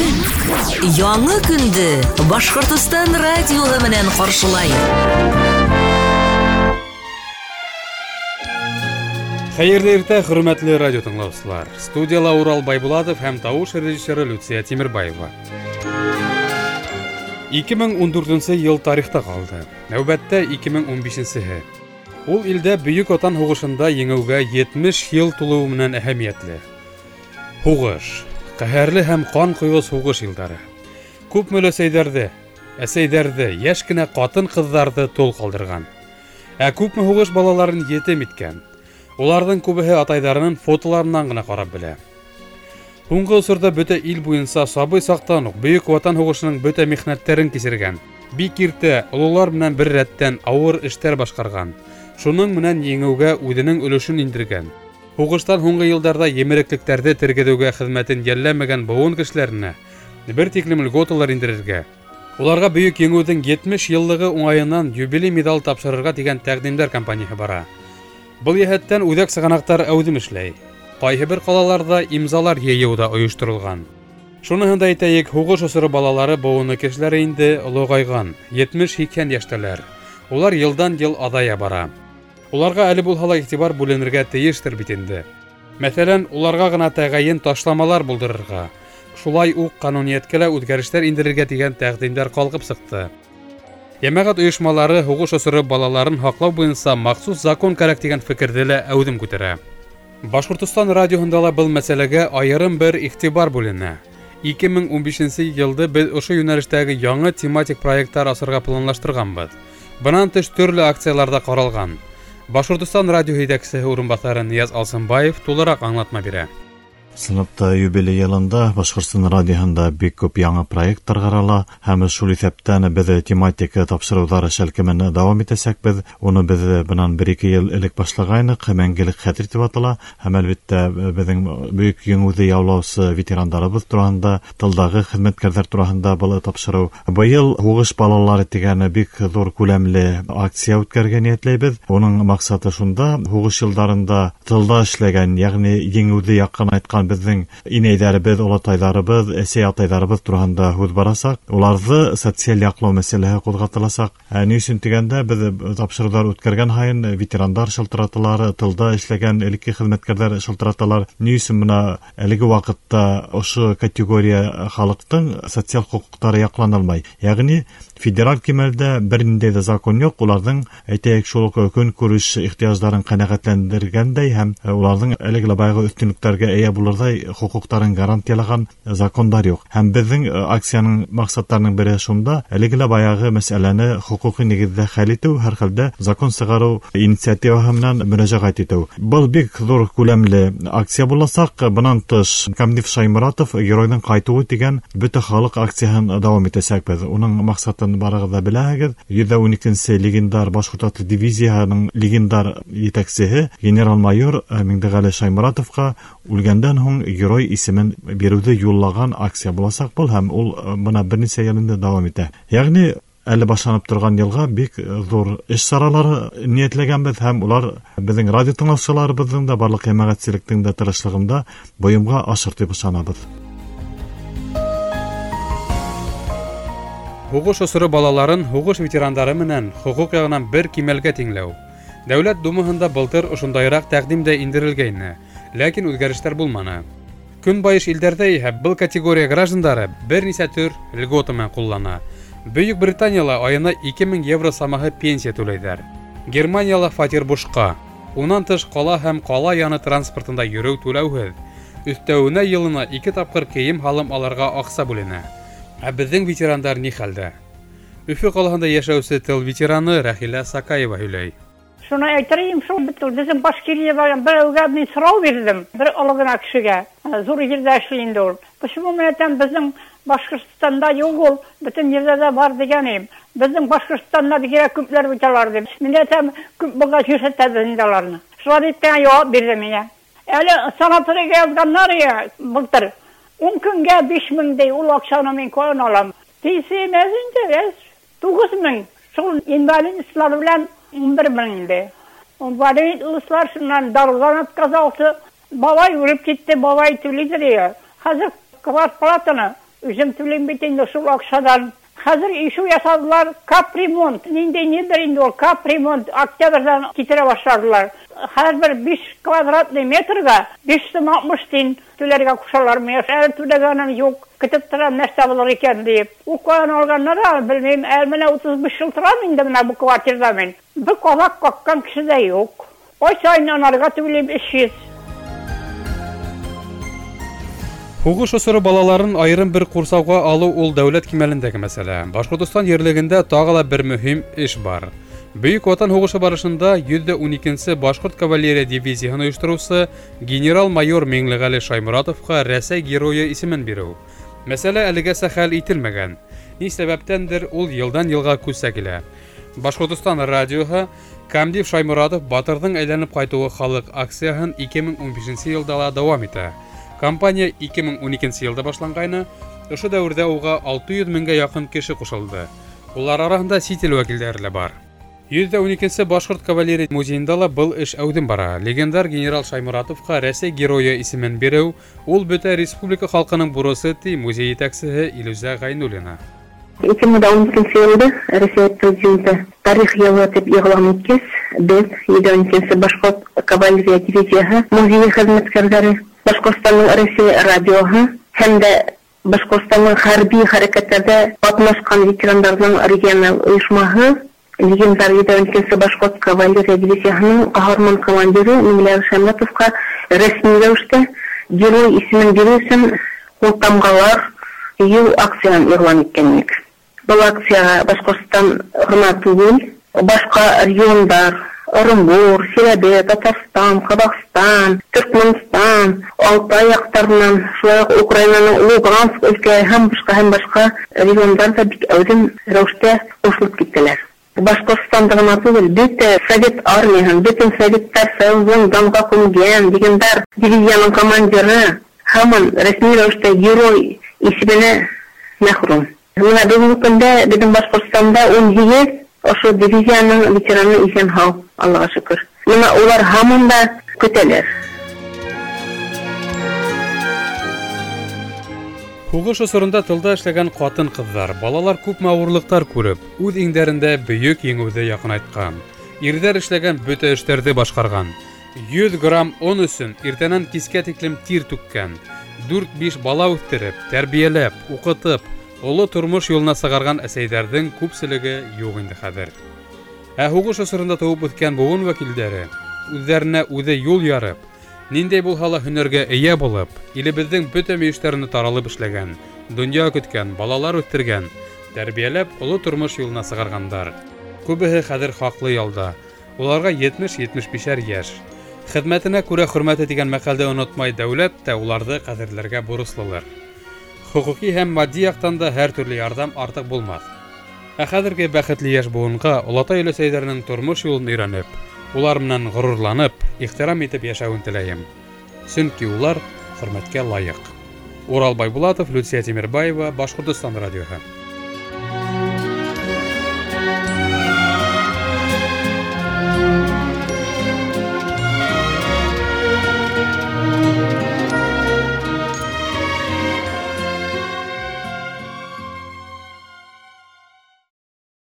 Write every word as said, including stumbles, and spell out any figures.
Көн. Яңы көндө Башҡортостан радиоһы менән ҡаршылай. Хәйерле иртә, хөрмәтле радио тыңлаусылар. Студияла Урал Байбулатов һәм тауыш режиссеры Люция Тимербаева. ике мең ун дүртенсе йыл тарихта ҡалды. Нәүбәттә ике мең ун бишенсеһе. Ул илдә Бөйөк Ватан һуғышында еңеүгә етмеш йыл тулыуы менән әһәмиәтле. Һуғыш, ҡәһәрле һәм ҡан ҡойғос һуғыш йылдары. Күпме өләсәйҙәрҙе, әсәйҙәрҙе, йәш кенә ҡатын-ҡыҙҙарҙы тол ҡалдырған. Ә күпме һуғыш балаларын етем иткән. Уларҙың күбеһе атайҙарының фотоларынан ғына ҡарап белә. Һуңғы осорҙа бөтә ил буйынса сабый саҡтан уҡ Бөйөк Ватан һуғышының бөтә михнәттәрен кисергән, бик иртә ололар менән бер рәттән ауыр эштәр башҡарған, шуның менән еңеүгә үҙенең өлөшөн индергән. Һуғыштан һуңғы йылдарҙа емереклектәрҙе тергеҙеүгә хеҙмәтен йәлләмәгән быуын кешеләренә бер тиклем льготалар индерергә, уларға Бөйөк Еңеүҙең етмеш йыллығы уңайынан юбилей медал тапшырырға тигән тәҡдимдәр кампанияһы бара. Был йәһәттән үҙәк сығанаҡтар әүҙем эшләй. Ҡайһы бер ҡалаларҙа имзалар йыйыу ҙа ойошторолған. Шуныһын да әйтәйек, һуғыш осоро балалары быуыны кешеләре инде олоғайған, етмеш-һикһән йәштәләр. Улар йылдан-йыл аҙая бара. Уларға әле булһа ла иғтибар бүленергә тейештер бит инде. Мәҫәлән, уларға ғына тәғәйен ташламалар булдырырға, шулай уҡ ҡануниәткә лә үҙгәрештәр индерергә тигән тәҡдимдәр ҡалҡып сыҡты. Йәмәғәт ойошмалары һуғыш осоро балаларын һаҡлау буйынса махсус закон кәрәк тигән фекерҙе лә әүҙем күтәрә. Башҡортостан радиоһында ла был мәсьәләгә айырым бер иғтибар бүленә. ике мең ун бишенсе йылды беҙ ошо йүнәлештәге яңы тематик проекттар асырға планлаштырғанбыҙ. Бынан тыш төрлө акциялар ҙа ҡаралған. Башҡортостан радиоһы етәксеһе урынбаҫары Нияз Алсынбаев тулыраҡ аңлатма бирә. Сыныпта юбилей йылында Башҡортостан радиоһында бик күп яңы проекттар ҡарала, һәм шул иҫәптән беҙ тематик тапшырыуҙар шәлкемен дауам итәсәкбеҙ. Уны беҙ бынан бер-ике йыл элек башлағайныҡ, мәңгелек хәтер тип атала. Һәм әлбиттә беҙҙең Бөйөк Еңеүҙе яулаусы ветерандарыбыҙ тураһында, тылдағы хеҙмәткәрҙәр тураһында был тапшырыу. Быйыл һуғыш балалары тигән бик ҙур күләмле акция үткәрергә ниәтләйбеҙ. Уның маҡсаты шунда: һуғыш йылдарында тылда эшләгән, йәғни еңеүҙе яҡынайтҡан беҙҙең инәйҙәребеҙ, олатайҙарыбыҙ, әсәй-атайҙарыбыҙ тураһында һүҙ барасаҡ. Уларҙы социаль яҡлау мәсьәләһе ҡуҙғатыласаҡ. Ә ни өсөн тигәндә, беҙ тапшырыуҙар үткәргән һайын ветерандар шылтыраталар, тылда эшләгән элекке хеҙмәткәрҙәр шылтыраталар. Ни өсөн бына әлеге ваҡытта ошо категория халыҡтың социаль хоҡуҡтары яҡланылмай? Йәғни федераль кимәлдә бер ниндәй ҙә закон юҡ, уларҙың, әйтәйек, шул уҡ көнкүреш ихтыяждарын ҡәнәғәтләндергәндәй һәм уларҙың әлеге лә баяғы өҫтөнлөктәргә эйә булырҙай хоҡуҡтарын гарантиялаған закондар юҡ. Һәм беҙҙең акцияның маҡсаттарының береһе шунда: әлеге лә баяғы мәсьәләне хоҡуҡи нигеҙҙә хәл итеү, һәр хәлдә закон сығарыу инициативаһы менән мөрәжәғәт итеү. Был бик ҙур күләмле акция буласаҡ. Бынан тыш Камдив Шайморатов геройҙың ҡайтыуы тигән бөтә халыҡ акцияһын дауам итәсәкбеҙ. Уның маҡсатын барығыҙ ҙа беләһегеҙ. Йөҙ ун икенсе легендар башҡорт атлы дивизияһының легендар етәксеһе генерал-майор Миңдеғәле Шайморатовҡа үлгәндән һуң герой исемен биреүҙе юллаған акция буласаҡ был, һәм ул бына бер нисә йыл инде дауам итә. Йәғни әле башланып торған йылға бик ҙур эш саралары ниәтләгәнбеҙ, һәм улар беҙҙең радио тыңлаусыларыбыҙҙың да, барлыҡ йәмәғәтселектең дә тырышлығында бойомға ашыр тип ышанабыҙ. Һуғыш осоро балаларын һуғыш ветерандары менән хоҡуҡ яғынан бер кимәлгә тиңләү. Дәүләт Думаһында былтыр ошондайыраҡ тәҡдим дә индерелгәйне, ләкин үҙгәрештәр булманы. Көнбайыш илдәрҙә иһә был категория граждандары бер нисә төр льгота менән ҡуллана. Бөйөк Британияла айына ике мең евро самаһы пенсия түләйҙәр. Германияла фатир бушҡа. Унан тыш ҡала һәм ҡала яны транспортында йөрөү түләүһеҙ. Өҫтәүенә йылына ике тапҡыр кейем-һалым алырға аҡса бүленә. Ә беҙҙең ветерандар ни хәлдә? Өфө ҡалаһында йәшәүсе тыл ветераны Рәхилә Сакаева һөйләй. Шуны әйтерейем, шул бит ул беҙҙең Башкирия барған берәүгә мин һорау бирҙем, бер оло ғына кешегә, ҙур ерҙә эшләй инде ул. Почему мин әйтәм, беҙҙең Башҡортостанда юҡ ул, бөтөн ерҙә лә бар тигән инем. Беҙҙең Башҡортостанда бигерәк күпләр бит алар тип. Мин әйтәм, күп булғас күрһәтәбеҙ инде уларны. Шулай тип кенә яуап бирҙе миңә. Әле санаторийға яҙғандар я былтыр. Ун көнгә биш мең ти, ул аҡсаны мин ҡайҙан алам? Пенсиям әҙ инде, әҙ. Туғыҙ мең. Шул инвалидлар белән ун бер мең инде. Инвалидлар шуннан дарыуҙан отказался. Бабай үлеп китте, бабай түләйҙер я. Хәҙер квартплатаны Үҙем түләйем бит инде шул аҡсанан. Хәҙер ишеү яһанылар, капремонт. Ниндәй ниҙер инде ул капремонт. Октябрҙән китерә башланылар. Һәр бер биш квадратный метрға биш һум алтмыш тин түләргә ҡушалар. Мин әле түләгәнем юҡ. Көтөп торам, нәрсә булыр икән тип. Ул ҡайҙан алғандар, белмәйем. Әле менә утыҙ биш йыл торам инде менә был квартирҙа мин. Бер ҡаҙаҡ ҡаҡҡан кеше ҙә юҡ. Ай сайын анарға түләйем өс йөҙ. Һуғыш осоро балаларын айырым бер ҡурсауға алыу ул дәүләт кимәлендәге мәсьәлә. Башҡортостан ерлегендә тағы ла бер мөһим эш бар. Бөйөк Ватан һуғышы барышында йөҙ ҙә ун икенсе Башҡорт кавалерия дивизияһын ойоштороусы генерал-майор Миңлеғәле Шайморатовҡа Рәсәй геройы исемен биреү. Мәсьәлә әлегәсә хәл ителмәгән. Ни сәбәптәндер ул йылдан йылға күсә килә. Башҡортостан радиоһы Камдив Шайморатов батырҙың әйләнеп ҡайтыуы халыҡ акцияһын ике мең ун бишенсе йылда ла дауам итә. Кампания ике мең ун икенсе йылда башланғайны, ошо дәүерҙә уға алты йөҙ меңгә яҡын кеше ҡушылды. Улар араһында сит ил вәкилдәре лә бар. Йөҙ ҙә ун икенсе Башҡорт кавалерия музейында ла был эш әүҙем бара. Легендар генерал Шайморатовҡа Рәсәй геройы исемен биреү ул бөтә республика халҡының бурысы, ти музей етәксеһе Илүзә Ғәйнуллина. Ике мең ун икенсе йылда Рәсәй президенты тарих йылы тип иғлан иткәс, беҙ йөҙ ун икенсе Башҡорт кавалерия дивизияһы музейы хеҙмәткәрҙәре, Башҡортостандың Рәсәй радиоһы һәм дә Башҡортостандың хәрби хәрәкәттәрҙә ҡатнашҡан ветерандарҙың региональ ойошмаһы легендар йөҙ ун икенсе Башҡорт кавалерия дивизияһының ҡаһарман командиры Миңлеғәле Шайморатовҡа рәсми рәүештә герой исемен биреү өсөн ҡултамғалар йыйыу акцияһын иғлан иткән инек. Был акцияға Башҡортостан ғына түгел, башҡа региондар, Орынбур, Силәбе, Татарстан, Ҡаҙағстан, Төркмәнстан, Алтай яҡтарынан, шулай уҡ Украинаның Луганск өлкәһе һәм башҡа һәм башҡа региондар ҙа бик әүҙем рәүештә ҡушылып киттеләр. Башҡортостанда ғына түгел, бөтә Совет армияһын, бөтөн Советтар Союзын данға күмгән легендар дивизияның командиры һаман рәсми рәүештә герой исеменә мәхрүм. Бына бөгөнгө көндә беҙҙең Башҡортостанда ун һигеҙ ошо дивизияның ветераны иҫән һау, Аллаға шөкөр. Бына улар һаман да көтәләр. Һуғыш осоронда тылда эшләгән ҡатын-ҡыҙҙар, балалар күпме ауырлыҡтар күреп, үҙ иңдәрендә бөйөк еңеүҙе яҡынайтҡан. Ирҙәр эшләгән бөтә эштәрҙе башҡарған. Йөҙ грамм он өсөн иртәнән кискә тиклем тир түккән. Дүрт-биш бала үҫтереп, тәрбиәләп, уҡытып, оло тормош юлына сығарған әсәйҙәрҙең күпселеге юҡ инде хәҙер. Ә һуғыш осоронда тыуып үҫкән быуын вәкилдәре үҙҙәренә үҙе юл ярып, ниндәй булһа ла һөнәргә эйә булып, илебеҙҙең бөтә мөйөштәренә таралып эшләгән, донъя көткән, балалар үҫтергән, тәрбиәләп оло тормош юлына сығарғандар. Күбеһе хәҙер хаҡлы ялда. Уларға етмеш-етмеш бишәр йәш. Хеҙмәтенә күрә хөрмәте тигән мәҡәлде онотмай дәүләт тә уларҙы ҡәҙерләргә бурыслылыр. Хоҡуҡи һәм матди яҡтан да һәр төрлө ярҙам артыҡ булмаҫ. Ә хәҙерге бәхетле йәш быуынға олатай-өләсәйҙәренең тормош юлын өйрәнеп, улар менән ғорурланып, ихтирам итеп йәшәүен теләйем. Сөнки улар хөрмәткә лайыҡ. Урал Байбулатов, Люция Тимербаева, Башҡортостан радиоһы.